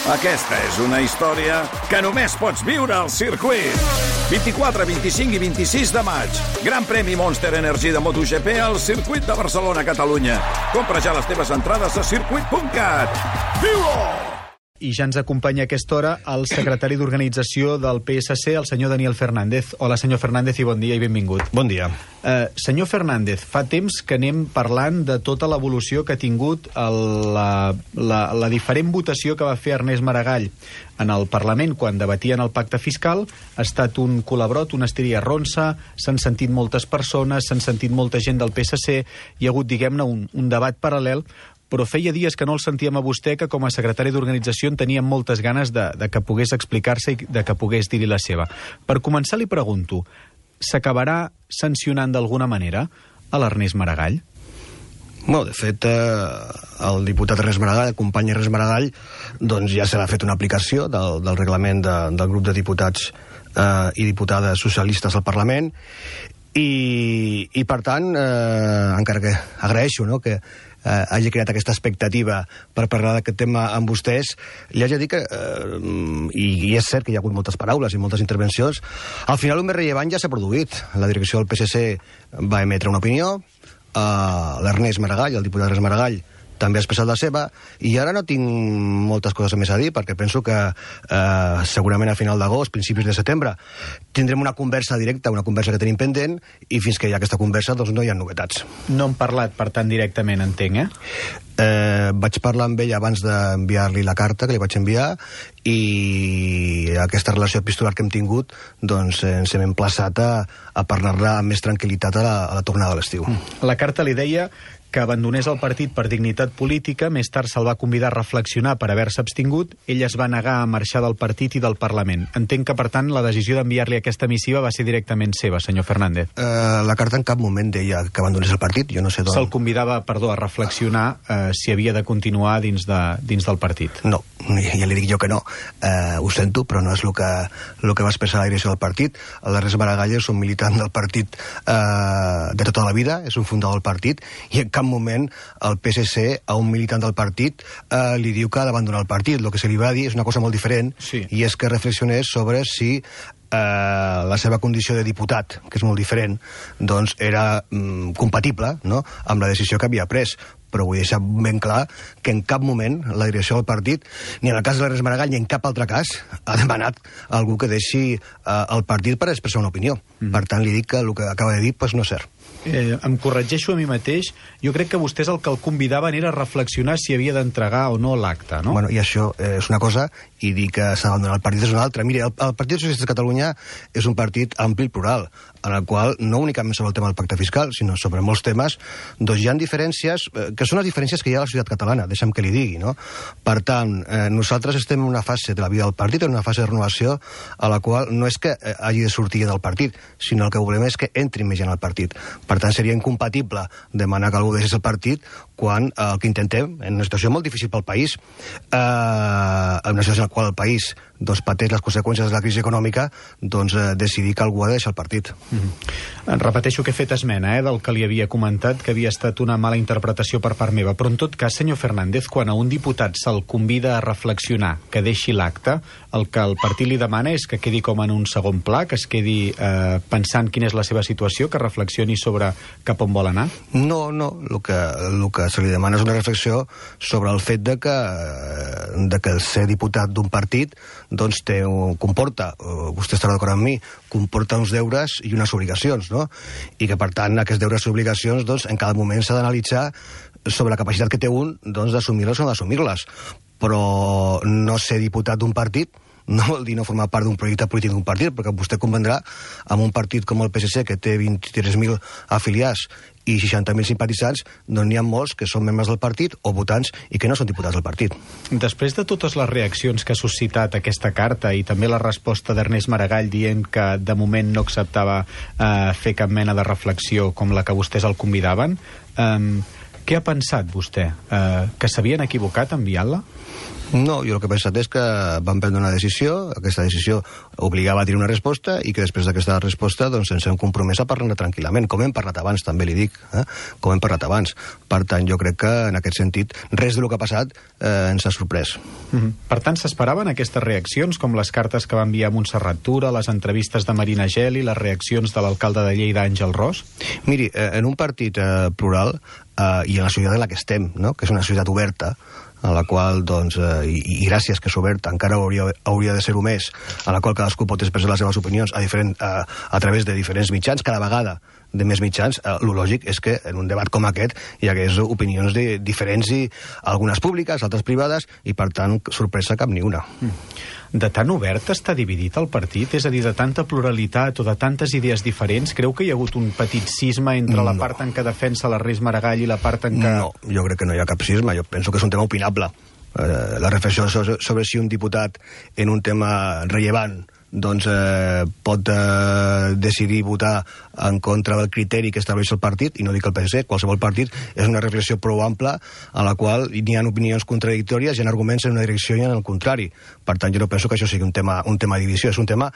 Aquesta és una història que només pots viure al circuit. 24, 25 i 26 de maig. Gran premi Monster Energy de MotoGP al circuit de Barcelona, Catalunya. Compra ja les teves entrades a circuit.cat. Viu-ho! I ja ens acompanya a aquesta hora el secretari d'organització del PSC, el senyor Daniel Fernández. Hola, senyor Fernández, i bon dia i benvingut. Bon dia. Senyor Fernández, fa temps que anem parlant de tota l'evolució que ha tingut la diferent votació que va fer Ernest Maragall en el Parlament quan debatien el pacte fiscal. Ha estat un colabrot, una estiria ronsa, s'han sentit moltes persones, s'han sentit molta gent del PSC, hi ha hagut, diguem-ne, un debat paral·lel, però feia dies que no el sentíem a vostè, que com a secretari d'organització en teníem moltes ganes de que pogués explicar-se i de que pogués dir-hi la seva. Per començar, li pregunto, s'acabarà sancionant d'alguna manera a l'Ernest Maragall? Bueno, de fet, el diputat Ernest Maragall, el company Ernest Maragall, doncs ja se l'ha fet una aplicació del reglament del grup de diputats i diputades socialistes al Parlament, i per tant, encara que agraeixo, no?, que hagi creat aquesta expectativa per parlar d'aquest tema amb vostès, li haig de dir que, i és cert que hi ha hagut moltes paraules i moltes intervencions, al final el més rellevant ja s'ha produït. La direcció del PSC va emetre una opinió, l'Ernest Maragall, el diputat Ernest Maragall, també ha expressat la seva, i ara no tinc moltes coses més a dir, perquè penso que segurament a final d'agost, principis de setembre, tindrem una conversa directa, una conversa que tenim pendent, i fins que hi ha aquesta conversa, doncs no hi ha novetats. No hem parlat, per tant, directament, entenc, Vaig parlar amb ell abans d'enviar-li la carta que li vaig enviar, i aquesta relació epistolar que hem tingut, doncs ens hem emplaçat a parlar-ne amb més tranquil·litat a la tornada de l'estiu. La carta li deia que abandonés el partit per dignitat política, més tard se'l va convidar a reflexionar per haver-se abstingut, ell es va negar a marxar del partit i del Parlament. Entenc que, per tant, la decisió d'enviar-li aquesta missiva va ser directament seva, senyor Fernández. La carta en cap moment deia que abandonés el partit, jo no sé d'on. Se'l convidava, a reflexionar si havia de continuar dins del partit. No, ja li dic jo que no. Ho sento, però no és el que va expressar la direcció del partit. L'Ernest Maragall és un militant del partit de tota la vida, és un fundador del partit, i en cap moment el PSC a un militant del partit li diu que ha d'abandonar el partit. El que se li va dir és una cosa molt diferent, sí, i és que reflexionés sobre si la seva condició de diputat, que és molt diferent, doncs era compatible, no?, amb la decisió que havia pres. Però vull deixar ben clar que en cap moment la direcció del partit, ni en el cas de l'Ernest Maragall ni en cap altre cas, ha demanat a algú que deixi el partit per expressar una opinió. Per tant, li dic que el que acaba de dir no és cert. Em corregeixo a mi mateix. Jo crec que vostès el que el convidaven era reflexionar si havia d'entregar o no l'acte, no? Bueno, i això és una cosa, i dir que s'ha d'abandonar el partit és una altra. Mire, el Partit Socialista de Catalunya és un partit ampli i plural, en el qual no únicament sobre el tema del pacte fiscal, sinó sobre molts temes, doncs hi ha diferències, que són les diferències que hi ha a la societat catalana, deixa'm que li digui, no? Per tant, nosaltres estem en una fase de la vida del partit, en una fase de renovació, a la qual no és que hagi de sortir del partit, sinó el que volem és que entri més gent al partit. Per tant, seria incompatible demanar que algú deixés el partit quan el que intentem, en una situació molt difícil pel país, en una situació en la qual el país doncs, pateix les conseqüències de la crisi econòmica, doncs decidir que algú ha de deixar el partit. Repeteixo que he fet esmena del que li havia comentat, que havia estat una mala interpretació per part meva, però en tot cas, senyor Fernández, quan a un diputat se'l convida a reflexionar, que deixi l'acte, el que el partit li demana és que quedi com en un segon pla, que es quedi pensant quina és la seva situació, que reflexioni sobre cap on vol anar? No, el que se li demana és una reflexió sobre el fet de que el ser diputat d'un partit doncs comporta, vostè estarà d'acord amb mi, comporta uns deures i unes obligacions, no? I que per tant aquests deures i obligacions doncs en cada moment s'ha d'analitzar sobre la capacitat que té un doncs d'assumir-les o no d'assumir-les. Però no ser diputat d'un partit no vol dir no formar part d'un projecte polític d'un partit, perquè vostè convendrà amb un partit com el PSC, que té 23.000 afiliats i 60.000 simpatitzants, doncs n'hi ha molts que són membres del partit o votants i que no són diputats del partit. Després de totes les reaccions que ha suscitat aquesta carta i també la resposta d'Ernest Maragall dient que de moment no acceptava fer cap mena de reflexió com la que vostès el convidaven, què ha pensat vostè? Que s'havien equivocat enviant-la? No, jo el que he pensat és que van prendre una decisió, aquesta decisió obligava a tenir una resposta i que després d'aquesta resposta doncs ens hem compromès a parlar tranquil·lament, com hem parlat abans, també li dic, com hem parlat abans. Per tant, jo crec que en aquest sentit res del que ha passat ens ha sorprès. Per tant, s'esperaven aquestes reaccions, com les cartes que va enviar Montserrat Tura, les entrevistes de Marina Geli, les reaccions de l'alcalde de Lleida, Àngel Ros? Miri, en un partit plural i en la societat en la que estem, no? Que és una societat oberta, a la qual, doncs, i gràcies que és oberta, encara hauria de ser-ho més, a la qual cadascú pot expressar les seves opinions a través de diferents mitjans, cada vegada de més mitjans, el lògic és que en un debat com aquest hi hagués opinions diferents, i algunes públiques, altres privades, i per tant, sorpresa cap ni una. De tan obert està dividit el partit? És a dir, de tanta pluralitat o de tantes idees diferents, creu que hi ha hagut un petit cisma entre la part en què defensa l'Ernest Maragall i la part en què... No, jo crec que no hi ha cap cisma, jo penso que és un tema opinable. La reflexió sobre si un diputat en un tema rellevant doncs pot decidir votar en contra del criteri que estableix el partit, i no dic el PSC, qualsevol partit, és una reflexió prou ampla a la qual n'hi ha opinions contradictòries, hi ha arguments en una direcció i en el contrari. Per tant, jo no penso que això sigui un tema de divisió, és un tema,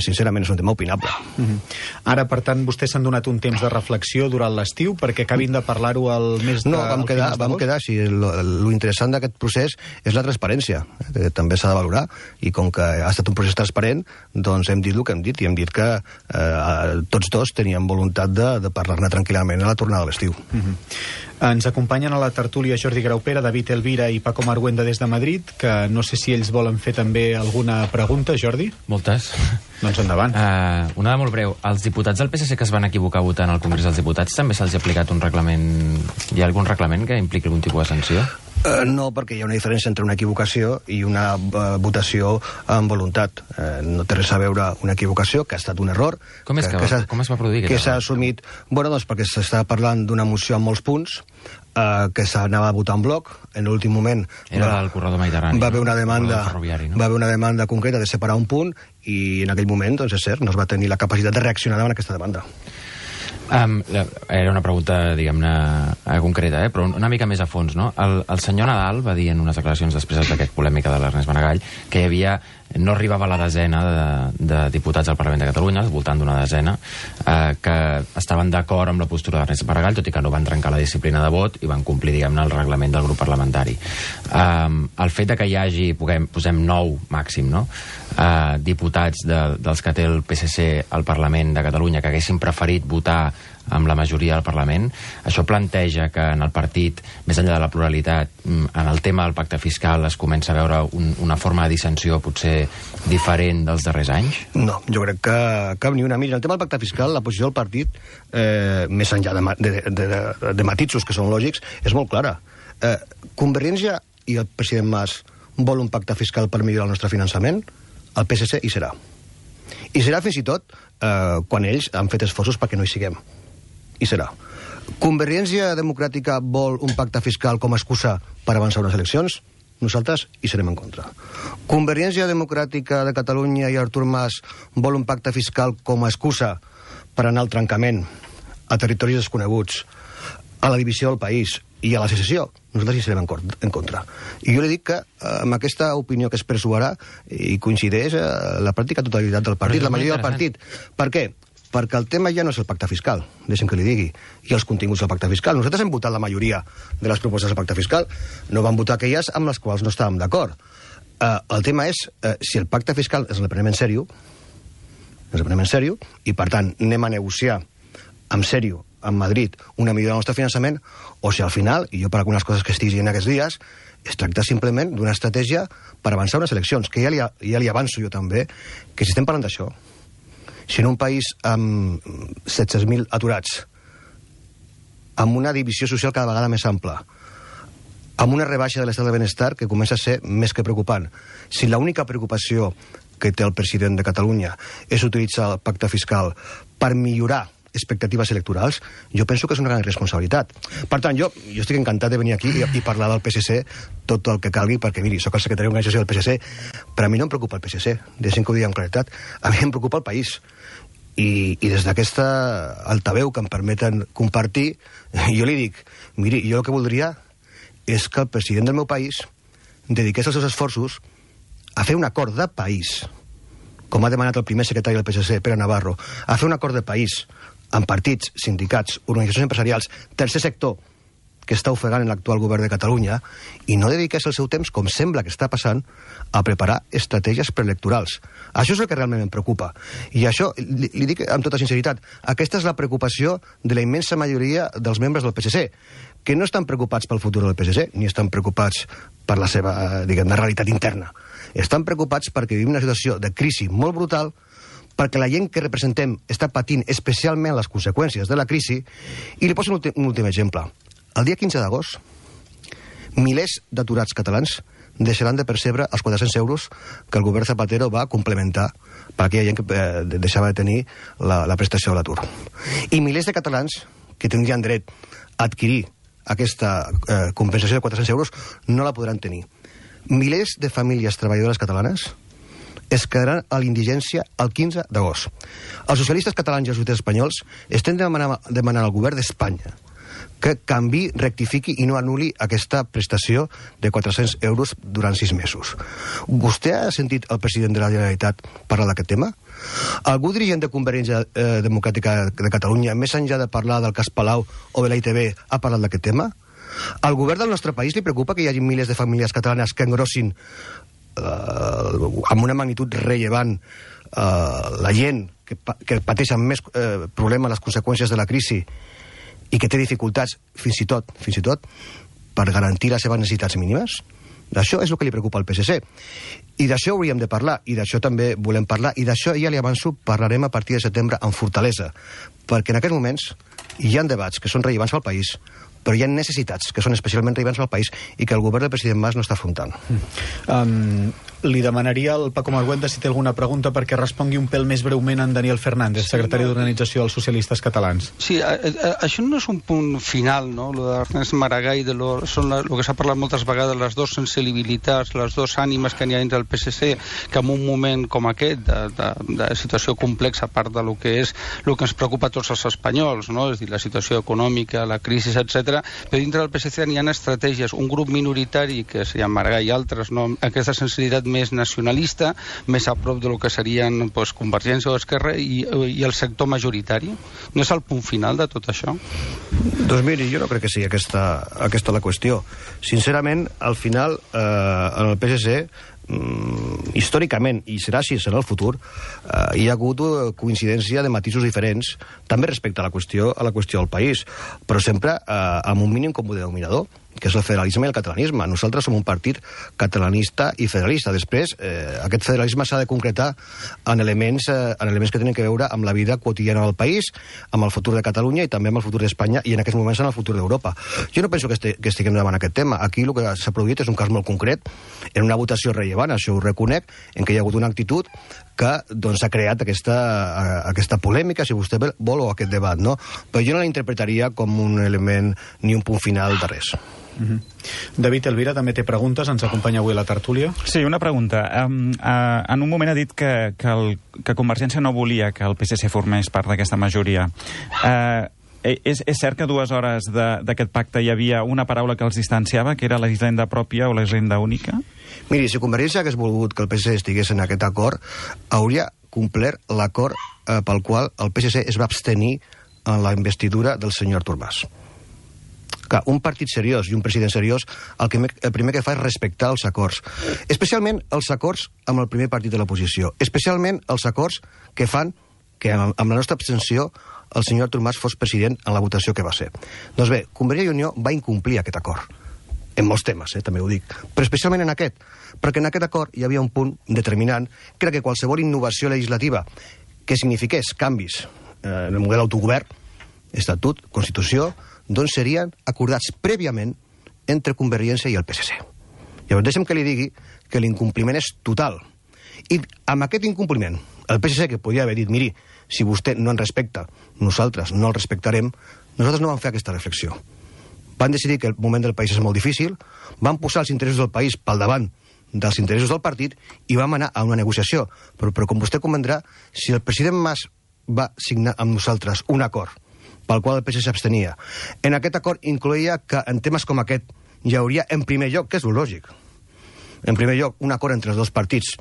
sincerament, és un tema opinable. Ara, per tant, vostès s'han donat un temps de reflexió durant l'estiu perquè acabin de parlar-ho al mes de... No, vam quedar, sí, lo interessant d'aquest procés és la transparència, que també s'ha de valorar, i com que ha estat un procés transparent, doncs hem dit el que hem dit, i hem dit que tots dos teníem voluntat de parlar-ne tranquil·lament a la tornada de l'estiu. Ens acompanyen a la tertúlia Jordi Graupera, David Elvira i Paco Marguenda des de Madrid, que no sé si ells volen fer també alguna pregunta, Jordi? Moltes. Doncs endavant. Una de molt breu. Els diputats del PSC que es van equivocar votant al Congrés dels Diputats també se'ls ha aplicat un reglament... Hi ha algun reglament que impliqui algun tipus de sanció? No, perquè hi ha una diferència entre una equivocació i una votació amb voluntat. No té res a veure una equivocació, que ha estat un error. Com es va produir? Que s'ha assumit... Bueno, doncs perquè s'està parlant d'una moció amb molts punts, que s'anava a votar en bloc. En l'últim moment... Era del corredor mediterrani. Va haver una demanda concreta de separar un punt, i en aquell moment, doncs és cert, no es va tenir la capacitat de reaccionar davant aquesta demanda. Era una pregunta, diguem-ne, concreta, però una mica més a fons, no? El senyor Nadal va dir en unes declaracions després d'aquesta polèmica de l'Ernest Maragall que hi havia... no arribava a la desena de diputats al Parlament de Catalunya, al voltant d'una desena, que estaven d'acord amb la postura d'Ernest Maragall, tot i que no van trencar la disciplina de vot i van complir, diguem-ne, el reglament del grup parlamentari. El fet de que hi hagi, posem 9 màxim, no?, diputats dels que té el PSC al Parlament de Catalunya que haguessin preferit votar amb la majoria del Parlament, això planteja que en el partit, més enllà de la pluralitat, en el tema del pacte fiscal es comença a veure una forma de dissensió potser diferent dels darrers anys? No, jo crec que cap ni una. Mira, en el tema del pacte fiscal, la posició del partit, més enllà de matisos que són lògics, és molt clara. Convergència i el president Mas vol un pacte fiscal per millorar el nostre finançament? El PSC hi serà. I serà fins i tot quan ells han fet esforços perquè no hi siguem. I serà. Convergència Democràtica vol un pacte fiscal com a excusa per avançar unes eleccions? Nosaltres hi serem en contra. Convergència Democràtica de Catalunya i Artur Mas vol un pacte fiscal com a excusa per anar al trencament, a territoris desconeguts, a la divisió del país i a la secessió? Nosaltres hi serem en contra. I jo li dic que amb aquesta opinió que expresso ara hi coincideix la pràctica totalitat del partit, la majoria del partit. Per què? Perquè el tema ja no és el pacte fiscal, deixem que li digui, i els continguts del pacte fiscal. Nosaltres hem votat la majoria de les propostes del pacte fiscal, no vam votar aquelles amb les quals no estàvem d'acord. El tema és si el pacte fiscal ens el prenem en sèrio, i per tant anem a negociar en sèrio amb Madrid una millora del nostre finançament, o si al final, i jo per algunes coses que estic dient aquests dies, es tracta simplement d'una estratègia per avançar unes eleccions, que ja li avanço jo també, que si estem parlant d'això, si en un país amb 700.000 aturats, amb una divisió social cada vegada més ampla, amb una rebaixa de l'estat del benestar que comença a ser més que preocupant, si l'única preocupació que té el president de Catalunya és utilitzar el pacte fiscal per millorar expectatives electorals, jo penso que és una gran responsabilitat. Per tant, jo estic encantat de venir aquí i parlar del PSC tot el que calgui, perquè, miri, soc el secretari d'organització del PSC, però a mi no em preocupa el PSC, deixem que ho digui amb claretat, a mi em preocupa el país. I des d'aquesta altaveu que em permeten compartir, jo li dic, miri, jo el que voldria és que el president del meu país dediqués els seus esforços a fer un acord de país, com ha demanat el primer secretari del PSC, Pere Navarro, a fer un acord de país amb partits, sindicats, organitzacions empresarials, tercer sector, que està ofegant en l'actual govern de Catalunya, i no dediqués el seu temps, com sembla que està passant, a preparar estratègies preelectorals. Això és el que realment em preocupa. I això, li dic amb tota sinceritat, aquesta és la preocupació de la immensa majoria dels membres del PSC, que no estan preocupats pel futur del PSC, ni estan preocupats per la seva, diguem, realitat interna. Estan preocupats perquè vivim una situació de crisi molt brutal, perquè la gent que representem està patint especialment les conseqüències de la crisi, i li poso un últim exemple. El dia 15 d'agost, milers d'aturats catalans deixaran de percebre els 400 euros que el govern Zapatero va complementar per aquella gent que deixava de tenir la prestació de l'atur. I milers de catalans que tindrien dret a adquirir aquesta compensació de 400 euros no la podran tenir. Milers de famílies treballadores catalanes es quedaran a l'indigència el 15 d'agost. Els socialistes catalans i els socialistes espanyols estem demanant al govern d'Espanya que canvi, rectifiqui i no anul·li aquesta prestació de 400 euros durant 6 mesos. Vostè ha sentit el president de la Generalitat parlar d'aquest tema? Algú dirigent de Convergència Democràtica de Catalunya, més enllà de parlar del cas Palau o de la ITV, ha parlat d'aquest tema? Al govern del nostre país li preocupa que hi hagi milers de famílies catalanes que engrossin amb una magnitud rellevant la gent que pateix amb més problemes les conseqüències de la crisi i que té dificultats fins i tot per garantir les seves necessitats mínimes? D'això és el que li preocupa al PSC. I d'això hauríem de parlar, i d'això també volem parlar, i d'això ja li avanço, parlarem a partir de setembre amb fortalesa, perquè en aquests moments hi ha debats que són rellevants pel país, però hi ha necessitats que són especialment rellevants pel país i que el govern del president Mas no està afrontant. Li demanaria al Paco Marguenda si té alguna pregunta perquè respongui un pèl més breument en Daniel Fernández, secretari d'Organització dels Socialistes Catalans. Sí, això no és un punt final, no? Lo d'Ernest Maragall, són el que s'ha parlat moltes vegades, les dues sensibilitats, les dues ànimes que n'hi ha dintre del PSC, que en un moment com aquest, de situació complexa, a part de lo que és el que ens preocupa a tots els espanyols, no? És a dir, la situació econòmica, la crisi, etc. Però dintre del PSC n'hi ha estratègies, un grup minoritari, que es llama Maragall i altres, no? Aquesta sensibilitat més nacionalista, més a prop del que serien Convergència o Esquerra i el sector majoritari. No és el punt final de tot això? Doncs miri, jo no crec que sigui aquesta la qüestió. Sincerament, al final, en el PSC, històricament, i serà així en el futur, hi ha hagut coincidència de matisos diferents, també respecte a la qüestió del país, però sempre amb un mínim comú denominador, que és el federalisme i el catalanisme. Nosaltres som un partit catalanista i federalista. Després, aquest federalisme s'ha de concretar en elements que tenen que veure amb la vida quotidiana del país, amb el futur de Catalunya i també amb el futur d'Espanya i en aquests moments en el futur d'Europa. Jo no penso que estiguem davant aquest tema. Aquí el que s'ha produït és un cas molt concret, en una votació rellevant, això ho reconec, en què hi ha hagut una actitud que doncs, ha creat aquesta polèmica, si vostè vol, o aquest debat, no? Però jo no l'interpretaria com un element ni un punt final de res. David Elvira també té preguntes, ens acompanya avui a la tertúlia. Sí, una pregunta. En un moment ha dit que Convergència no volia que el PSC formés part d'aquesta majoria. És cert que a 2 hores d'aquest pacte hi havia una paraula que els distanciava, que era la hisenda pròpia o la hisenda única? Miri, si Convergència hagués volgut que el PSC estigués en aquest acord, hauria complert l'acord pel qual el PSC es va abstenir en la investidura del senyor Artur Mas. Que un partit seriós i un president seriós el primer que fa és respectar els acords. Especialment els acords amb el primer partit de l'oposició. Especialment els acords que fan que amb la nostra abstenció el senyor Artur Mas fos president en la votació que va ser. Doncs bé, Convergència i Unió va incomplir aquest acord. En molts temes, també ho dic. Però especialment en aquest. Perquè en aquest acord hi havia un punt determinant que era que qualsevol innovació legislativa que signifiqués canvis en el model d'autogovern, estatut, constitució, doncs serien acordats prèviament entre Convergència i el PSC. Llavors deixem que li digui que l'incompliment és total. I amb aquest incompliment, el PSC, que podia haver dit, miri, si vostè no en respecta, nosaltres no el respectarem, nosaltres no vam fer aquesta reflexió. Van decidir que el moment del país és molt difícil, van posar els interessos del país pel davant dels interessos del partit i vam anar a una negociació. Però com vostè convendrà, si el president Mas va signar amb nosaltres un acord pel qual el PSC s'abstenia, en aquest acord incloïa que en temes com aquest hi hauria, en primer lloc, que és lo lògic, En primer lloc, un acord entre els dos partits,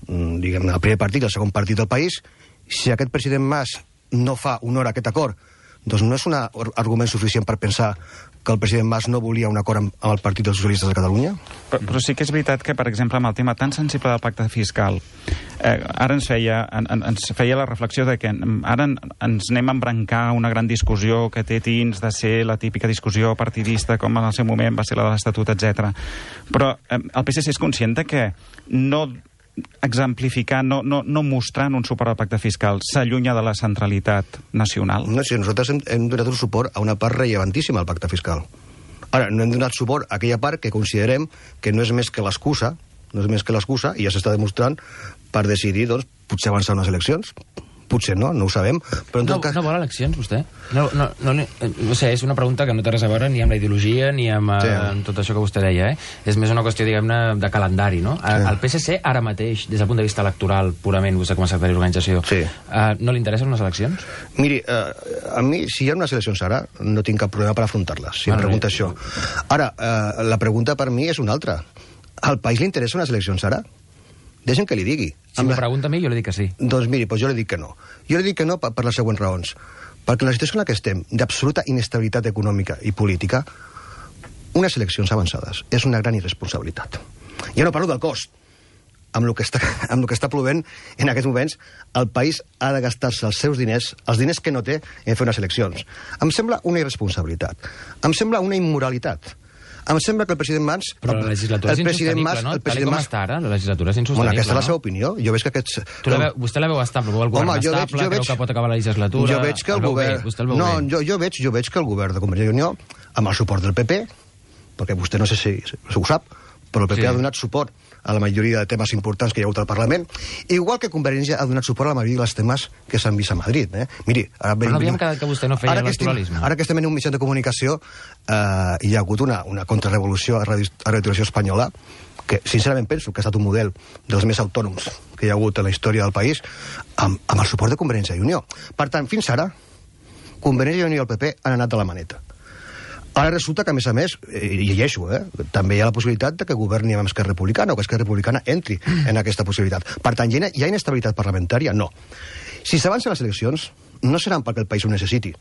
diguem, el primer partit i el segon partit del país. Si aquest president Mas no fa honor a aquest acord, doncs no és un argument suficient per pensar que el president Mas no volia un acord amb el Partit dels Socialistes de Catalunya? Però sí que és veritat que, per exemple, amb el tema tan sensible del pacte fiscal, ara ens feia la reflexió de que ara ens anem a embrancar una gran discussió que té tints de ser la típica discussió partidista, com en el seu moment va ser la de l'Estatut, etc. Però el PSC és conscient que no exemplificar, no mostrant un suport al pacte fiscal s'allunya de la centralitat nacional? No, sí, nosaltres hem donat un suport a una part relevantíssima al pacte fiscal. Ara, no hem donat suport a aquella part que considerem que no és més que l'excusa, i ja s'està demostrant, per decidir, doncs, potser avançar unes eleccions. Potser no ho sabem. Però en tot cas... No vol eleccions, vostè? No sé, és una pregunta que no té res a veure ni amb la ideologia ni amb tot això que vostè deia, És més una qüestió, diguem-ne, de calendari, no? El PSC, ara mateix, des del punt de vista electoral, purament, vostè com a secretari d'organització, no li interessen unes eleccions? Miri, a mi, si hi ha unes eleccions ara, no tinc cap problema per afrontar-les, si em pregunta això. Ara, la pregunta per mi és una altra. Al país li interessen unes eleccions ara? Deixa'm que li digui. Si m'ho pregunta a mi, jo li dic que sí. Doncs miri, jo li dic que no. Jo li dic que no per les següents raons. Perquè la situació en la que estem, d'absoluta inestabilitat econòmica i política, unes eleccions avançades és una gran irresponsabilitat. Ja no parlo del cost. Amb el que està plovent en aquests moments, el país ha de gastar-se els seus diners, els diners que no té, en fer unes eleccions. Em sembla una irresponsabilitat. Em sembla una immoralitat. Em sembla que el president Mas... Però la legislatura és insostenible, no? Tal com està ara, la legislatura és insostenible. Bueno, aquesta és la seva opinió. Jo veig que aquests... Vostè la veu estable, veu el govern estable, creu que pot acabar la legislatura... Jo veig que el govern... No, jo veig que el govern de Convergència i Unió, amb el suport del PP, perquè vostè no sé si ho sap, però el PP ha donat suport a la majoria de temes importants que hi ha hagut al Parlament, igual que Convergència ha donat suport a la majoria dels temes que s'han vist a Madrid. Miri, ara però no havíem quedat que vostè no feia electoralisme. Ara que estem en un mitjà de comunicació, hi ha hagut una contrarrevolució a Radio Televisió Espanyola, que sincerament penso que ha estat un model dels més autònoms que hi ha hagut en la història del país, amb el suport de Convergència i Unió. Per tant, fins ara, Convergència i Unió i el PP han anat de la maneta. Ara resulta que, a més, i llegeixo, també hi ha la possibilitat de que governi amb Esquerra Republicana o que Esquerra Republicana entri en aquesta possibilitat. Per tant, hi ha inestabilitat parlamentària? No. Si s'avancen les eleccions, no seran perquè el país ho necessiti.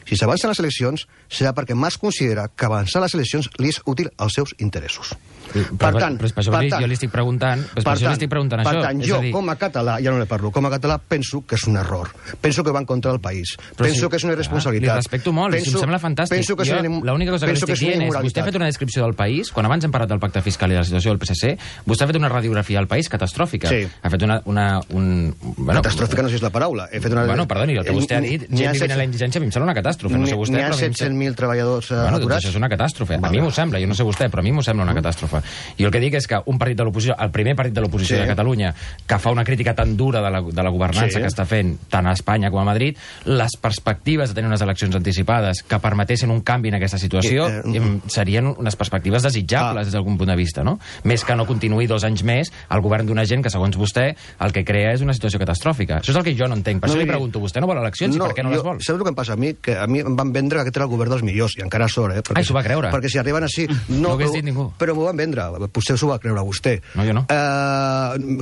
Si s'avancen les eleccions, serà perquè Mas considera que avançar les eleccions li és útil als seus interessos. Per tant, jo li estic preguntant això. Per tant, jo, com a català, ja no ne parlo, com a català penso que és un error. Penso que va en contra del país. Penso que és una irresponsabilitat. Li respecto molt, em sembla fantàstic. L'única cosa que li estic dient és, vostè ha fet una descripció del país, quan abans hem parlat del pacte fiscal i de la situació del PSC, vostè ha fet una radiografia del país catastròfica. Ha fet catàstròfica no sé si és la paraula. Bueno, perdoni, el que vostè ha dit, gent vivint a la indigència, a mi em sembla una catàstrofe. No sé vostè, n'hi ha 700.000 treballadors aturats. Això és una catàstrofe. A mi m'ho sembla, jo no sé vostè, però a mi m'ho sembla una catàstrofe. I el que dic és que un partit de l'oposició, el primer partit de l'oposició de Catalunya, que fa una crítica tan dura de la governança que està fent tant a Espanya com a Madrid, les perspectives de tenir unes eleccions anticipades que permetessin un canvi en aquesta situació serien unes perspectives desitjables des d'algun punt de vista, no? Més que no continuï 2 anys més el govern d'una gent que, segons vostè, el que crea és una situació catastròfica. Això és el que jo no entenc. Per això li pregunto, vostè no vol eleccions i per què no les vol? Saps el que em passa a mi? Que a mi em van vendre que aquest era el govern dels millors, i encara sort, Ai, s'ho va creure. Perquè si arriben així... No ho hagués dit ningú. Però m'ho van vendre. Potser s'ho va creure vostè. No, jo no.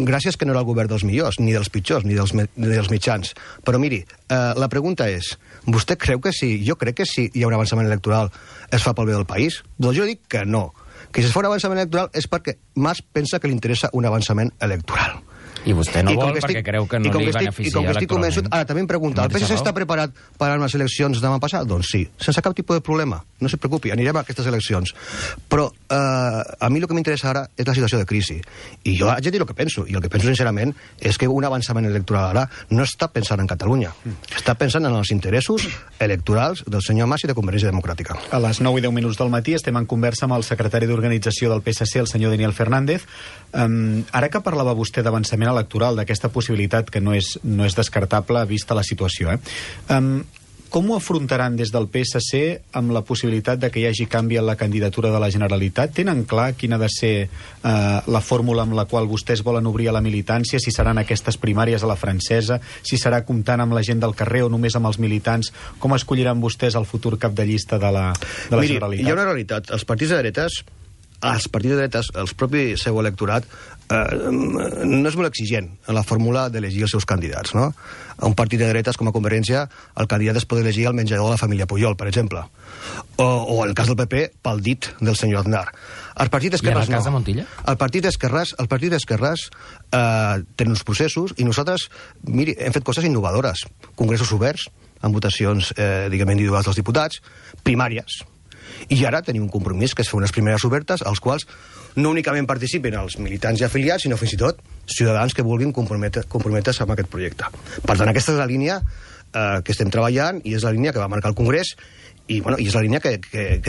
Gràcies que no era el govern dels millors, ni dels pitjors, ni dels mitjans. Però miri, la pregunta és, vostè creu que sí? Jo crec que si hi ha un avançament electoral es fa pel bé del país? Doncs jo dic que no. Que si es fa un avançament electoral és perquè Mas pensa que li interessa un avançament electoral. I vostè no vol perquè creu que no li beneficia electoralment. Ara també em pregunta, el PSC està preparat per a unes eleccions demà passat? Doncs sí, sense cap tipus de problema. No se preocupi, anirem a aquestes eleccions. Però a mi el que m'interessa ara és la situació de crisi. I jo haig de dir el que penso, i el que penso sincerament és que un avançament electoral ara no està pensant en Catalunya, està pensant en els interessos electorals del senyor Mas i de Convergència Democràtica. A les 9:10 del matí estem en conversa amb el secretari d'Organització del PSC, el senyor Daniel Fernández. Ara que parlava vostè d'avançament electoral, d'aquesta possibilitat que no és descartable vista la situació, com ho afrontaran des del PSC amb la possibilitat de que hi hagi canvi en la candidatura de la Generalitat? Tenen clar quina ha de ser la fórmula amb la qual vostès volen obrir a la militància, si seran aquestes primàries a la francesa, si serà comptant amb la gent del carrer o només amb els militants? Com escolliran vostès el futur cap de llista de la Generalitat? Miri, hi ha una realitat. Els partits de dretes als partits de dretes, el propi seu electorat, no és molt exigent en la fórmula d'elegir els seus candidats, no? A un partit de dretes com a Convergència, el candidat es pot elegir al menjador de la família Pujol, per exemple. O en el cas del PP, pel dit del senyor Aznar. Els partits d'esquerres no. I en el cas de Montilla? El partit d'esquerres té uns processos i nosaltres, miri, hem fet coses innovadores. Congressos oberts, amb votacions, individuals dels diputats, primàries. I ara tenim un compromís, que és fer unes primeres obertes, als quals no únicament participen els militants i afiliats, sinó fins i tot ciutadans que vulguin comprometre's amb aquest projecte. Per tant, aquesta és la línia que estem treballant i és la línia que va marcar el Congrés i és la línia que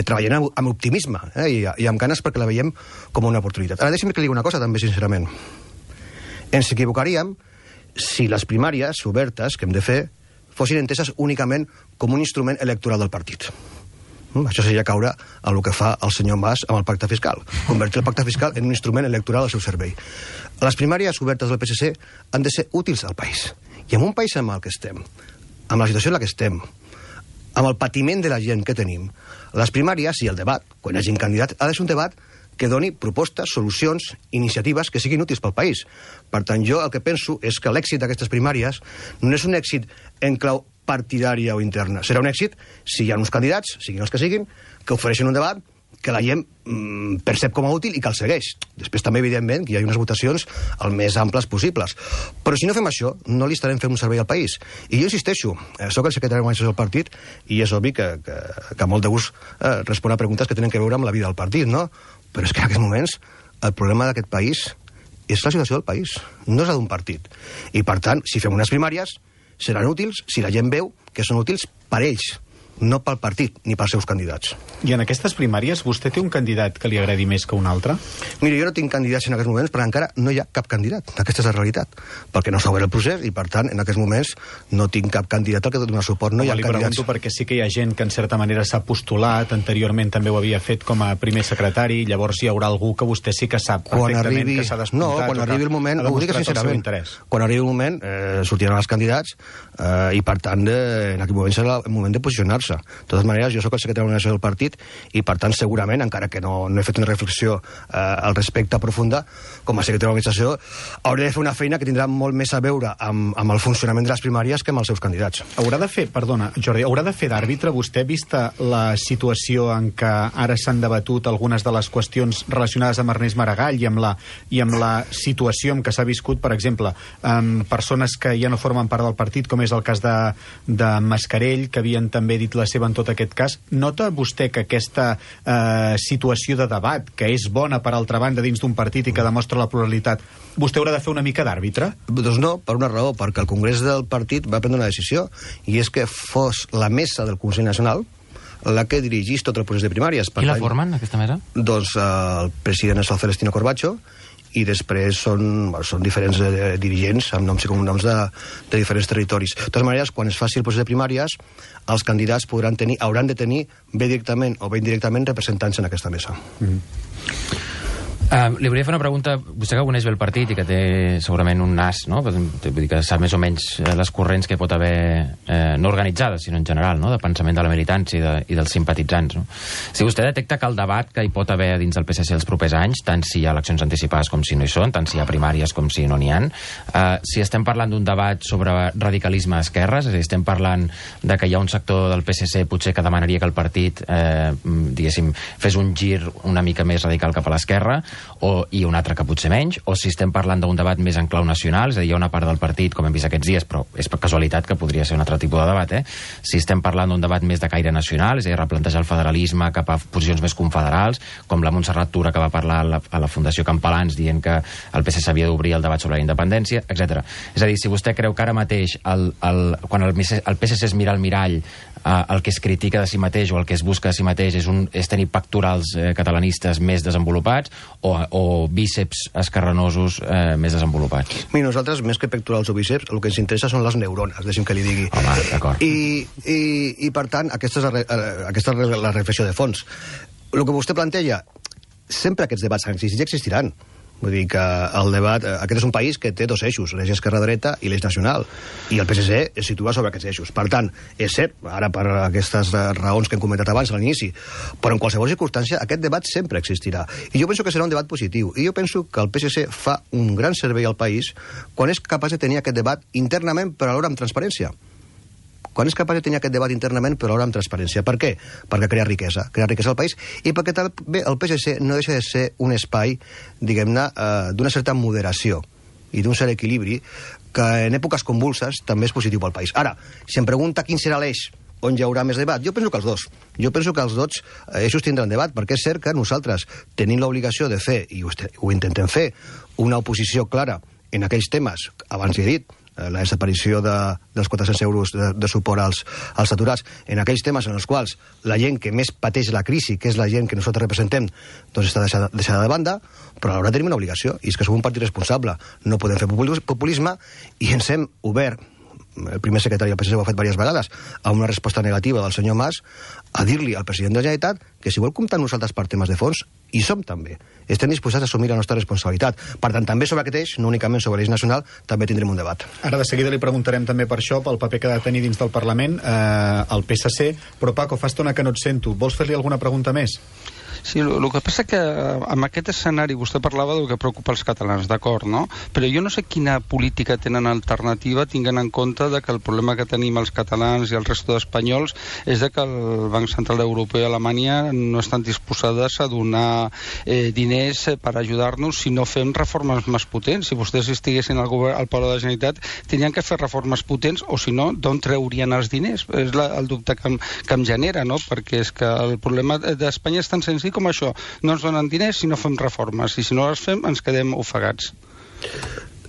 treballem amb optimisme i amb ganes perquè la veiem com una oportunitat. Ara deixi'm que li digui una cosa també, sincerament. Ens equivocaríem si les primàries obertes que hem de fer fossin enteses únicament com un instrument electoral del partit. Això seria caure a el que fa el senyor Mas amb el pacte fiscal, convertir el pacte fiscal en un instrument electoral al seu servei. Les primàries obertes del PSC han de ser útils al país. I en un país en el que estem, amb la situació en la que estem, amb el patiment de la gent que tenim, les primàries i el debat, quan hi hagi un candidat, ha de ser un debat que doni propostes, solucions, iniciatives que siguin útils pel país. Per tant, jo el que penso és que l'èxit d'aquestes primàries no és un èxit en clau partidària o interna. Serà un èxit si hi ha uns candidats, siguin els que siguin, que ofereixen un debat que la gent percep com a útil i que el segueix. Després també, evidentment, que hi ha unes votacions el més amples possibles. Però si no fem això, no li estarem fent un servei al país. I jo insisteixo, soc el secretari d'organització del partit i és obvi que molt de gust respon a preguntes que tenen a veure amb la vida del partit, no? Però és que en aquests moments el problema d'aquest país és la situació del país, no és la d'un partit. I, per tant, si fem unes primàries, seran útils si la gent veu que són útils per ells, no pel partit ni pels seus candidats. I en aquestes primàries vostè té un candidat que li agradi més que un altre? Mira, jo no tinc candidats en aquests moments perquè encara no hi ha cap candidat. Aquesta és la realitat. Perquè no s'ha obert el procés i, per tant, en aquests moments no tinc cap candidat al que donar suport. No hi ha li candidats. Pregunto perquè sí que hi ha gent que en certa manera s'ha postulat, anteriorment també ho havia fet com a primer secretari, llavors hi haurà algú que vostè sí que sap perfectament que s'ha despuntat. No, quan arribi el moment, ho dic sincerament, quan arribi el moment sortiran els candidats i, per tant, en aquest moment serà el moment de posicionar-se. De totes maneres, jo sóc el secretari d'organització del partit i, per tant, segurament, encara que no he fet una reflexió al respecte profunda, com a secretari d'organització, hauré de fer una feina que tindrà molt més a veure amb el funcionament de les primàries que amb els seus candidats. Haurà de fer d'àrbitre, vostè, vista la situació en què ara s'han debatut algunes de les qüestions relacionades amb Ernest Maragall i amb la situació en què s'ha viscut, per exemple, amb persones que ja no formen part del partit, com és el cas de Mascarell, que havien també dit la seva en tot aquest cas. Nota vostè que aquesta situació de debat, que és bona per altra banda dins d'un partit i que demostra la pluralitat, vostè haurà de fer una mica d'àrbitre? Doncs no, per una raó, perquè el Congrés del partit va prendre una decisió, i és que fos la mesa del Consell Nacional la que dirigís tot el procés de primàries. Qui la formen, aquesta mesa? Doncs el president és el Celestino Corbacho, i després són diferents dirigents amb noms i cognoms de diferents territoris. De totes maneres, quan es faci el procés de primàries, els candidats hauran de tenir bé directament o bé indirectament representants en aquesta mesa. Li volia fer una pregunta. Vostè que coneix bé el partit i que té segurament un nas, no? Vull dir que sap més o menys les corrents que pot haver, no organitzades, sinó en general, no? De pensament de la militància i dels simpatitzants, no? Si vostè detecta que el debat que hi pot haver dins del PSC els propers anys, tant si hi ha eleccions anticipades com si no hi són, tant si hi ha primàries com si no n'hi ha, si estem parlant d'un debat sobre radicalisme d'esquerres, és a dir, estem parlant de que hi ha un sector del PSC potser que demanaria que el partit, diguéssim, fes un gir una mica més radical cap a l'esquerra, i un altre que potser menys, o si estem parlant d'un debat més en clau nacional, és a dir, hi ha una part del partit, com hem vist aquests dies, però és per casualitat que podria ser un altre tipus de debat, si estem parlant d'un debat més de caire nacional, és a dir, replantejar el federalisme cap a posicions més confederals, com la Montserrat Tura que va parlar a la Fundació Campalans dient que el PSC havia d'obrir el debat sobre la independència, etc. És a dir, si vostè creu que ara mateix quan el PSC es mira al mirall, el que es critica de si mateix o el que es busca de si mateix és tenir pectorals catalanistes més desenvolupats o bíceps escarranosos més desenvolupats? Mira, nosaltres, més que pectorals o bíceps, el que ens interessa són les neurones, deixi'm que li digui. Home, d'acord. I per tant, aquesta és la reflexió de fons. El que vostè planteja, sempre aquests debats han existit i existiran. Vull dir que el debat... Aquest és un país que té dos eixos, l'eix esquerra-dreta i l'eix nacional, i el PSC es situa sobre aquests eixos. Per tant, és cert, ara per aquestes raons que hem comentat abans a l'inici, però en qualsevol circumstància aquest debat sempre existirà. I jo penso que serà un debat positiu. I jo penso que el PSC fa un gran servei al país quan és capaç de tenir aquest debat internament, però alhora amb transparència. Quan és capaç de tenir aquest debat internament, però alhora amb transparència. Per què? Perquè crea riquesa al país, i perquè també el PSC no deixa de ser un espai, diguem-ne, d'una certa moderació i d'un cert equilibri que en èpoques convulses també és positiu pel país. Ara, si em pregunta quin serà l'eix on hi haurà més debat, jo penso que els dos. Jo penso que els dos eixos tindran debat, perquè és cert que nosaltres tenim l'obligació de fer, i ho intentem fer, una oposició clara en aquells temes, abans he dit, la desaparició dels 400 euros de suport als aturats, en aquells temes en els quals la gent que més pateix la crisi, que és la gent que nosaltres representem, doncs està deixada de banda, però alhora tenim una obligació, i és que som un partit responsable. No podem fer populisme, i ens hem obert, el primer secretari del PSC ho ha fet diverses vegades, amb una resposta negativa del senyor Mas, a dir-li al president de la Generalitat que si vol comptar amb nosaltres per temes de fons, hi som també. Estem disposats a assumir la nostra responsabilitat. Per tant, també sobre aquest eix, no únicament sobre l'eix nacional, també tindrem un debat. Ara de seguida li preguntarem també per això, pel paper que ha de tenir dins del Parlament el PSC, però Paco, fa estona que no et sento. Vols fer-li alguna pregunta més? Sí, el que passa que amb aquest escenari vostè parlava del que preocupa els catalans, d'acord, no? Però jo no sé quina política tenen alternativa tinguent en compte de que el problema que tenim els catalans i el resto d'espanyols és de que el Banc Central Europeu i Alemanya no estan disposades a donar diners per ajudar-nos si no fem reformes més potents. Si vostès estiguessin al Palau de la Generalitat, tenien que fer reformes potents, o si no, d'on treurien els diners? És el dubte que em genera, no? Perquè és que el problema d'Espanya és tan senzill com això, no ens donen diners si no fem reformes, i si no les fem ens quedem ofegats.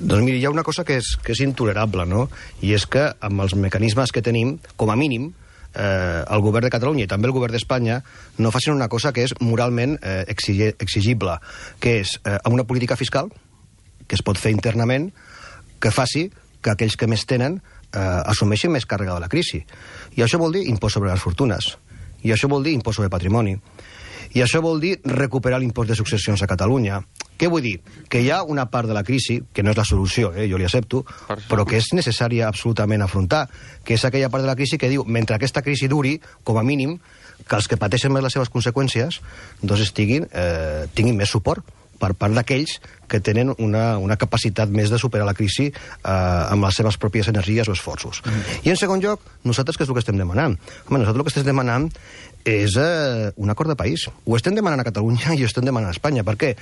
Doncs miri, hi ha una cosa que és intolerable, no? I és que amb els mecanismes que tenim, com a mínim, el govern de Catalunya i també el govern d'Espanya no facin una cosa que és moralment exigible, que és amb una política fiscal que es pot fer internament, que faci que aquells que més tenen assumeixin més càrrega de la crisi. I això vol dir impost sobre les fortunes, i això vol dir impost sobre patrimoni, i això vol dir recuperar l'impost de successions a Catalunya. Què vull dir? Que hi ha una part de la crisi, que no és la solució, jo li accepto, però que és necessària absolutament afrontar, que és aquella part de la crisi que diu, mentre aquesta crisi duri, com a mínim, que els que pateixen més les seves conseqüències doncs tinguin més suport per part d'aquells que tenen una capacitat més de superar la crisi amb les seves pròpies energies o esforços. I en segon lloc, nosaltres què és el que estem demanant? Home, nosaltres el que estem demanant és un acord de país. Ho estem demanant a Catalunya i ho estem demanant a Espanya. Per què?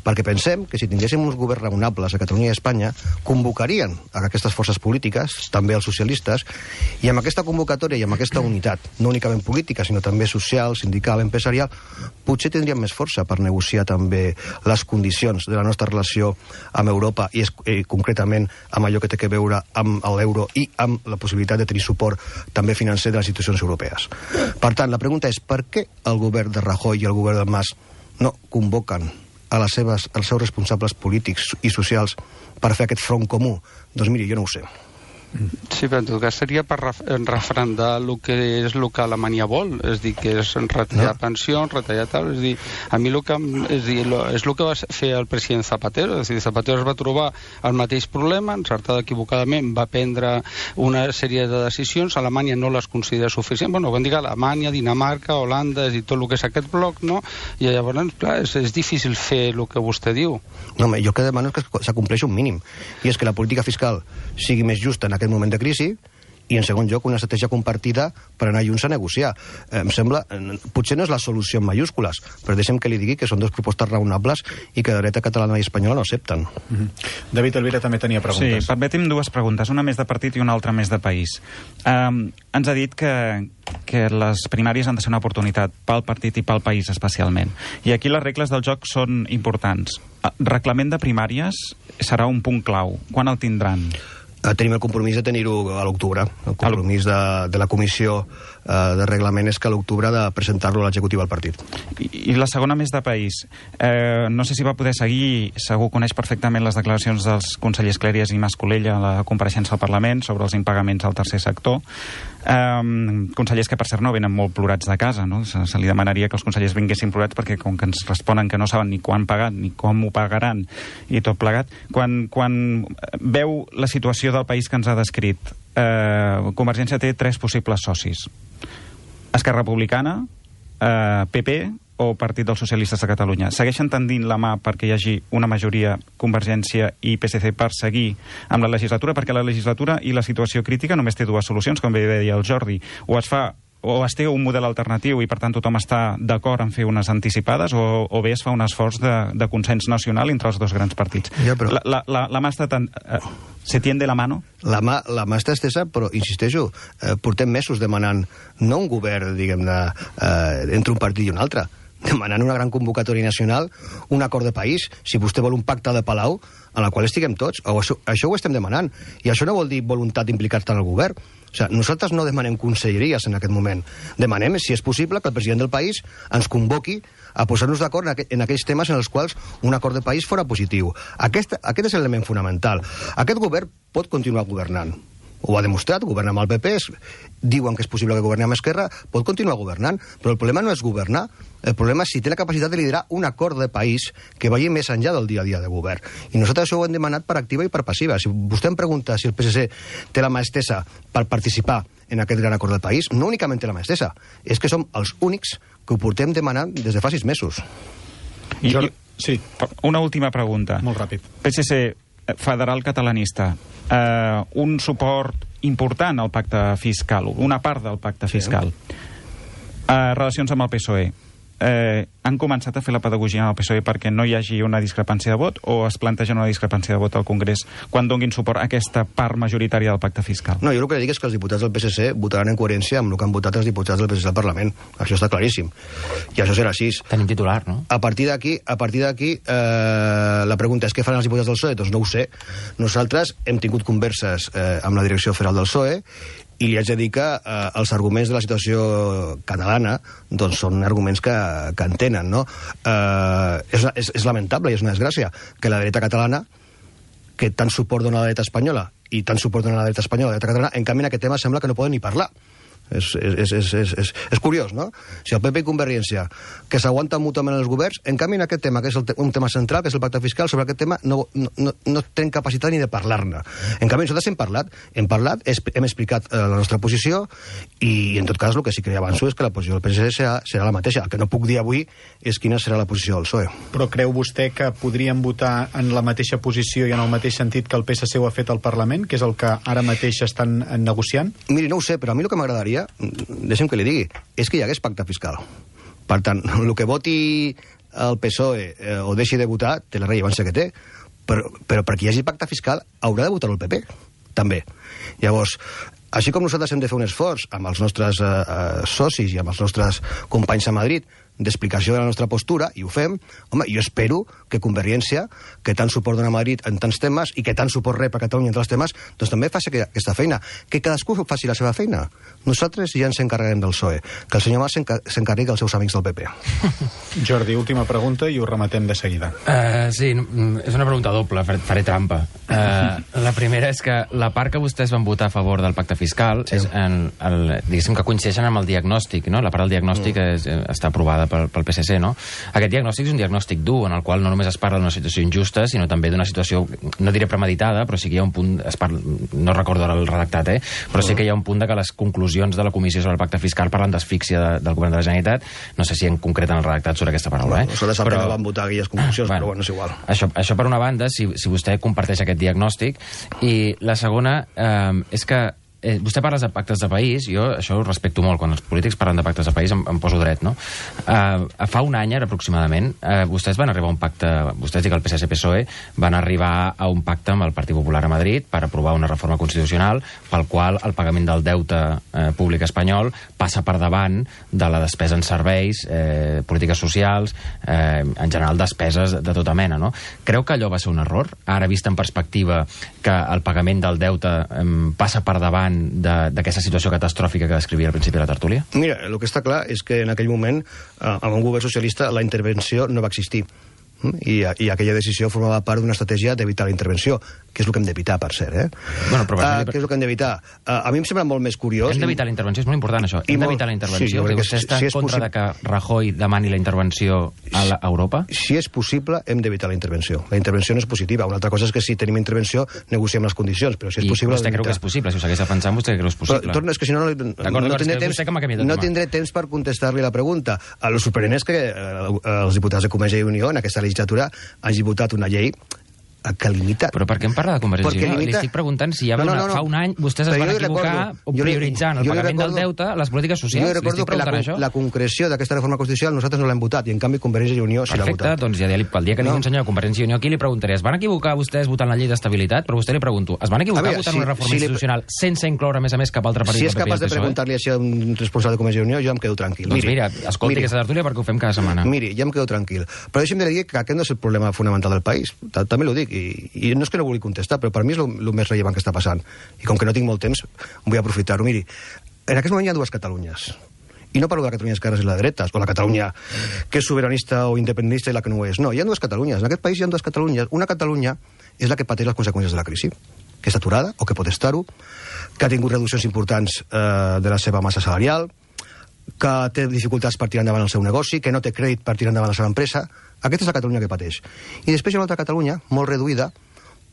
Perquè pensem que si tinguéssim uns governs raonables a Catalunya i a Espanya, convocarien a aquestes forces polítiques, també els socialistes, i amb aquesta convocatòria i amb aquesta unitat, no únicament política, sinó també social, sindical, empresarial, potser tindríem més força per negociar també les condicions de la nostra relació amb Europa i concretament amb allò que té a veure amb l'euro i amb la possibilitat de tenir suport també financer de les institucions europees. Per tant, la pregunta és per què el govern de Rajoy i el govern del Mas no convoquen als seus responsables polítics i socials per fer aquest front comú? Doncs miri, jo no ho sé. Sí, però en tot cas seria per refrendar el que és el que Alemanya vol, és dir, que és retallar pensions, retallar tal, és dir, a mi és el que va fer el president Zapatero, és dir, Zapatero es va trobar el mateix problema, encertat equivocadament va prendre una sèrie de decisions, Alemanya no les considera suficients, bueno, quan dic Alemanya, Dinamarca, Holanda, és dir, tot el que és aquest bloc, no? I llavors, clar, és difícil fer el que vostè diu. No, jo el que demano és que s'acompleixi un mínim, i és que la política fiscal sigui més justa en aquest moment de crisi, i en segon lloc una estratègia compartida per anar junts a negociar. Em sembla, potser no és la solució en mayúscules, però deixem que li digui que són dues propostes raonables i que de dreta catalana i espanyola no accepten. David Elvira també tenia preguntes. Sí, permeti'm dues preguntes, una més de partit i una altra més de país. Ens ha dit que les primàries han de ser una oportunitat pel partit i pel país especialment. I aquí les regles del joc són importants. Reglament de primàries serà un punt clau. Quan el tindran? Tenim el compromís de tenir-ho a l'octubre. El compromís de la comissió de reglament és que a l'octubre de presentar-lo a l'executiu al partit. I la segona, més de país. No sé si va poder seguir, segur coneix perfectament les declaracions dels consellers Clèries i Mas-Colell a la compareixença al Parlament sobre els impagaments al tercer sector. Consellers que, per cert, no venen molt plorats de casa, no? Se li demanaria que els consellers vinguessin plorats perquè com que ens responen que no saben ni quan pagar ni com ho pagaran i tot plegat. Quan veu la situació del país que ens ha descrit, Convergència té 3 possibles socis: Esquerra Republicana, PP o Partit dels Socialistes de Catalunya. Segueixen tendint la mà perquè hi hagi una majoria Convergència i PSC per seguir amb la legislatura, perquè la legislatura i la situació crítica només té 2 solucions, com bé deia el Jordi. O es té un model alternatiu i per tant tothom està d'acord en fer unes anticipades, o bé es fa un esforç de consens nacional entre els 2 grans partits. Ja, però... La mà està tan... ¿Se tiende la mano? La mà està estesa, però, insisteixo, portem mesos demanant no un govern, diguem-ne, entre un partit i un altre, demanant una gran convocatòria nacional, un acord de país, si vostè vol un pacte de Palau, en el qual estiguem tots. Això ho estem demanant. I això no vol dir voluntat d'implicar-te en el govern. O sigui, nosaltres no demanem conselleries en aquest moment. Demanem, si és possible, que el president del país ens convoqui a posar-nos d'acord en aquells temes en els quals un acord de país fora positiu. Aquest és l'element fonamental. Aquest govern pot continuar governant. Ho ha demostrat, governa amb el PP, diuen que és possible que governi amb Esquerra, pot continuar governant, però el problema no és governar, el problema és si té la capacitat de liderar un acord de país que vagi més enllà del dia a dia de govern. I nosaltres això ho hem demanat per activa i per passiva. Si vostè em pregunta si el PSC té la mà estesa per participar en aquest gran acord del país, no únicament té la mà estesa, és que som els únics que ho portem demanant des de fa 6 mesos. Sí. Una última pregunta. Molt ràpid. PSC federal catalanista, un suport important al pacte fiscal, una part del pacte fiscal. Relacions amb el PSOE. Han començat a fer la pedagogia en el PSOE perquè no hi hagi una discrepància de vot, o es planteja una discrepància de vot al Congrés quan donin suport a aquesta part majoritària del pacte fiscal? No, jo el que dic és que els diputats del PSC votaran en coherència amb el que han votat els diputats del PSC al Parlament. Això està claríssim. I això serà així. Tenim titular, no? A partir d'aquí, la pregunta és què faran els diputats del PSOE? Doncs no ho sé. Nosaltres hem tingut converses amb la direcció federal del PSOE i li haig de dir que els arguments de la situació catalana doncs són arguments que entenen, no? És lamentable i és una desgràcia que la dreta catalana, que tant suport dona a la dreta espanyola i tant suport dona a la dreta espanyola a la dreta catalana, en canvi en aquest tema sembla que no poden ni parlar. És curiós, no? Si el PP i Convergència, que s'aguanten mútuament els governs, en canvi en aquest tema, que és un tema central, que és el pacte fiscal, sobre aquest tema no tenen capacitat ni de parlar-ne. En canvi nosaltres hem parlat, hem explicat la nostra posició i en tot cas el que sí que avanço és que la posició del PSC serà la mateixa. El que no puc dir avui és quina serà la posició del PSOE. Però creu vostè que podrien votar en la mateixa posició i en el mateix sentit que el PSC ho ha fet al Parlament, que és el que ara mateix estan negociant? Miri, no ho sé, però a mi el que m'agradaria, deixem que li digui, és que hi hagués pacte fiscal. Per tant, el que voti el PSOE o deixi de votar té la rellevància que té, però perquè hi hagi pacte fiscal haurà de votar el PP, també. Llavors, així com nosaltres hem de fer un esforç amb els nostres socis i amb els nostres companys a Madrid d'explicació de la nostra postura, i ho fem, home, jo espero que Convergència, que tant suport dona a Madrid en tants temes i que tant suport rep a Catalunya en tants temes, doncs també faci aquesta feina. Que cadascú faci la seva feina. Nosaltres ja ens encarreguem del PSOE. Que el senyor Mas s'encarregui dels seus amics del PP. Jordi, última pregunta i ho rematem de seguida. Sí, és una pregunta doble, faré trampa. La primera és que la part que vostès van votar a favor del pacte fiscal és diguéssim que coincideixen amb el diagnòstic, no? La part del diagnòstic està aprovada pel PSC, no? Aquest diagnòstic és un diagnòstic dur, en el qual no només es parla d'una situació injusta, sinó també d'una situació, no diré premeditada, però sí que hi ha un punt, no recordo ara el redactat, però sí que hi ha un punt de que les conclusions de la Comissió sobre el Pacte Fiscal parlen d'asfíxia del Govern de la Generalitat. No sé si en concreten el redactat sobre aquesta paraula, Nosaltres que no van votar aquelles conclusions, però bueno, és igual. Això per una banda, si vostè comparteix aquest diagnòstic, i la segona és que vostè parla de pactes de país, jo això ho respecto molt, quan els polítics parlen de pactes de país em poso dret, no? Fa un any, ara aproximadament, vostès van arribar a un pacte, vostès i que el PSC-PSOE van arribar a un pacte amb el Partit Popular a Madrid per aprovar una reforma constitucional pel qual el pagament del deute públic espanyol passa per davant de la despesa en serveis, polítiques socials, en general despeses de tota mena, no? Creu que allò va ser un error? Ara, vist en perspectiva que el pagament del deute passa per davant d'aquesta situació catastròfica que descrivia al principi de la tertúlia? Mira, el que està clar és que en aquell moment, amb un govern socialista, la intervenció no va existir. I aquella decisió formava part d'una estratègia d'evitar la intervenció, que és el que hem d'evitar, per cert, Bueno, però que és el que hem d'evitar. A mi em sembla molt més curiós... Hem d'evitar la intervenció, és molt important això. Hem d'evitar la intervenció, perquè vostè està en contra de que Rajoy demani la intervenció a Europa? Si és possible, hem d'evitar la intervenció. La intervenció no és positiva. Una altra cosa és que si tenim intervenció, negociem les condicions, però si és possible... I vostè creu que és possible? Si ho segueix defensant, vostè creu que és possible? Però, és que si no tindré temps per contestar-li la pregunta. El sorprenent és que els diputats de Convergència i Unió en aquesta legislatura hagi votat una llei que limita... Però per què em parla de Convergència i Unió? Li estic preguntant si fa un any vostès es van equivocar prioritzant el pagament del deute, les polítiques socials. Jo recordo que la concreció d'aquesta reforma constitucional nosaltres no l'hem votat i en canvi Convergència i Unió sí l'ha votat. Perfecte, doncs ja el dia que ningú un senyor de Convergència i Unió aquí li preguntaré, es van equivocar vostès votant la llei d'estabilitat? Però vostè li pregunto, es van equivocar votant una reforma institucional sense incloure a més cap altre partit? Si és capaç de preguntar-li així a un responsable de Convergència i Unió, jo em quedo tranquil. Doncs mira, escolti aquesta tertúlia perquè ho fem cada setmana. Miri, ja em quedo tranquil. Però deixi'm dir que aquest no és el problema fonamental del país. També l'ho dic, i no és que no vulgui contestar, però per mi és el més rellevant que està passant. I com que no tinc molt temps, vull aprofitar-ho. Miri, en aquest moment hi ha dues Catalunyes. I no parlo de la Catalunya d'esquerres i la dretes, o la Catalunya que és sobiranista o independentista i la que no ho és. No, hi ha dues Catalunyes. En aquest país hi ha dues Catalunyes. Una Catalunya és la que pateix les conseqüències de la crisi, que és aturada, o que pot estar-ho, que ha tingut reduccions importants de la seva massa salarial, que té dificultats per tirar endavant el seu negoci, que no té crèdit per tirar endavant la seva empresa. Aquesta és la Catalunya que pateix. I després hi ha una altra Catalunya, molt reduïda,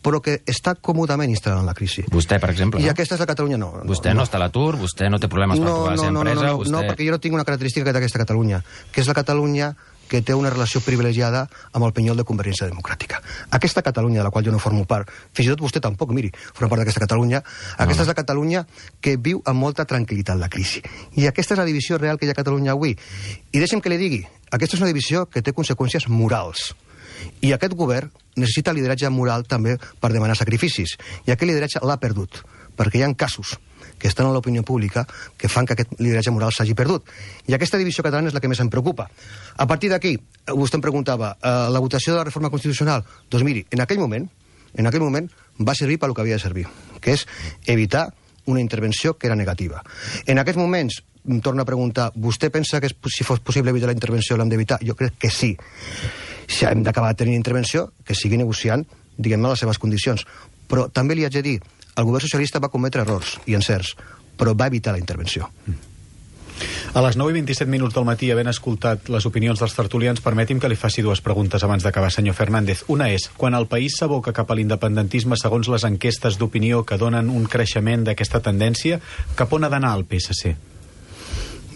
però que està còmodament instal·lant en la crisi. Vostè, per exemple, I aquesta és la Catalunya, no. Vostè no està a l'atur, vostè no té problemes per trobar la seva empresa... No, perquè jo no tinc una característica d'aquesta Catalunya, que és la Catalunya que té una relació privilegiada amb el penyol de Convergència Democràtica. Aquesta Catalunya, de la qual jo no formo part, fins i tot vostè tampoc, miri, forma part d'aquesta Catalunya, aquesta és la Catalunya que viu amb molta tranquil·litat la crisi. I aquesta és la divisió real que hi ha a Catalunya avui. I deixi'm que li digui, aquesta és una divisió que té conseqüències morals. I aquest govern necessita lideratge moral també per demanar sacrificis. I aquest lideratge l'ha perdut, perquè hi ha casos que estan a l'opinió pública que fan que aquest lideratge moral s'hagi perdut. I aquesta divisió catalana és la que més em preocupa. A partir d'aquí, vostè em preguntava, la votació de la reforma constitucional? Doncs miri, en aquell moment va servir pel que havia de servir, que és evitar una intervenció que era negativa. En aquests moments, em torna a preguntar, vostè pensa que si fos possible evitar la intervenció l'hem d'evitar? Jo crec que sí. Si hem d'acabar tenint intervenció, que sigui negociant, diguem-ne, les seves condicions. Però també li haig de dir, el govern socialista va cometre errors i encerts, però va evitar la intervenció. A les 9:27 del matí, havent escoltat les opinions dels tertulians, permeti'm que li faci dues preguntes abans d'acabar, senyor Fernández. Una és, quan el país s'aboca cap a l'independentisme segons les enquestes d'opinió que donen un creixement d'aquesta tendència, cap on ha d'anar el PSC?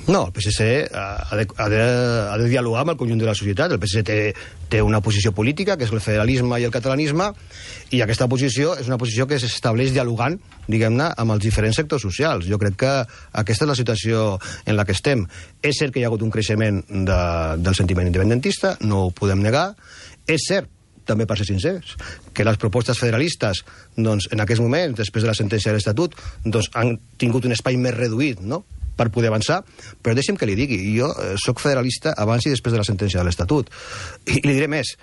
No, el PSC ha de dialogar amb el conjunt de la societat. El PSC té una posició política, que és el federalisme i el catalanisme, i aquesta posició és una posició que s'estableix dialogant, diguem-ne, amb els diferents sectors socials. Jo crec que aquesta és la situació en la que estem. És cert que hi ha hagut un creixement del sentiment independentista, no ho podem negar. És cert, també per ser sincers, que les propostes federalistes, doncs, en aquests moments, després de la sentència de l'Estatut, doncs, han tingut un espai més reduït, no?, per poder avançar, però deixi'm que li digui, jo sóc federalista abans i després de la sentència de l'Estatut. I li diré més,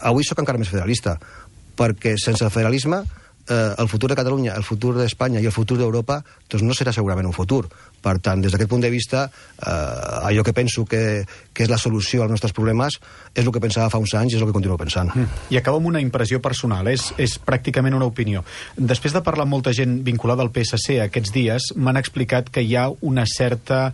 avui sóc encara més federalista, perquè sense el federalisme el futur de Catalunya, el futur d'Espanya i el futur d'Europa doncs no serà segurament un futur. Per tant, des d'aquest punt de vista, allò que penso que és la solució als nostres problemes és el que pensava fa uns anys i és el que continuo pensant. I acabo amb una impressió personal, és pràcticament una opinió. Després de parlar amb molta gent vinculada al PSC aquests dies, m'han explicat que hi ha una certa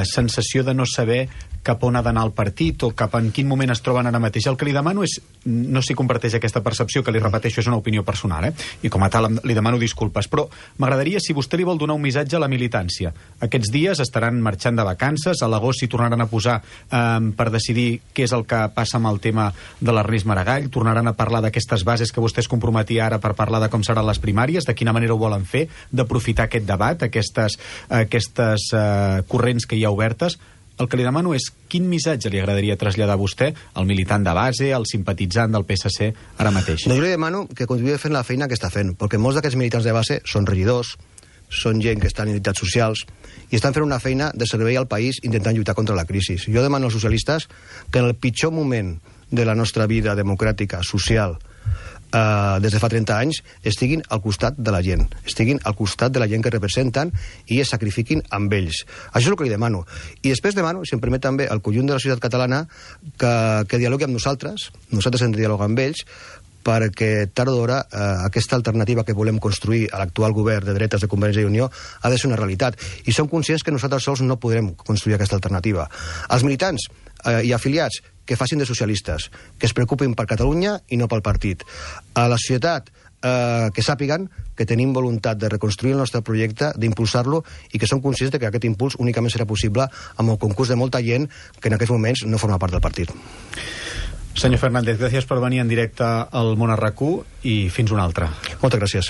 sensació de no saber cap on ha d'anar el partit o cap en quin moment es troben ara mateix. El que li demano és, no sé si comparteix aquesta percepció, que li repeteixo, és una opinió personal, i com a tal li demano disculpes, però m'agradaria si vostè li vol donar un missatge a la militància. Aquests dies estaran marxant de vacances, a l'agost s'hi tornaran a posar per decidir què és el que passa amb el tema de l'Ernest Maragall, tornaran a parlar d'aquestes bases que vostè es comprometia ara per parlar de com seran les primàries, de quina manera ho volen fer, d'aprofitar aquest debat, aquestes corrents que hi ha obertes. El que li demano és quin missatge li agradaria traslladar a vostè, al militant de base, al simpatitzant del PSC, ara mateix. No, jo li demano que continuï fent la feina que està fent, perquè molts d'aquests militants de base són regidors, són gent que estan en entitats socials i estan fent una feina de servei al país intentant lluitar contra la crisi. Jo demano als socialistes que en el pitjor moment de la nostra vida democràtica, social, des de fa 30 anys, estiguin al costat de la gent, estiguin al costat de la gent que representen i es sacrifiquin amb ells. Això és el que li demano. I després demano, si em permet també, al conjunt de la societat catalana que dialogui amb nosaltres hem de dialogar amb ells, perquè tard o d'hora aquesta alternativa que volem construir a l'actual govern de dretes de Convergència i Unió ha de ser una realitat. I som conscients que nosaltres sols no podrem construir aquesta alternativa. Els militants i afiliats que facin de socialistes, que es preocupin per Catalunya i no pel partit. A la societat que sàpiguen que tenim voluntat de reconstruir el nostre projecte, d'impulsar-lo, i que som conscients que aquest impuls únicament serà possible amb el concurs de molta gent que en aquests moments no forma part del partit. Senyor Fernández, gràcies per venir en directe al Món a RAC1 i fins una altra. Moltes gràcies.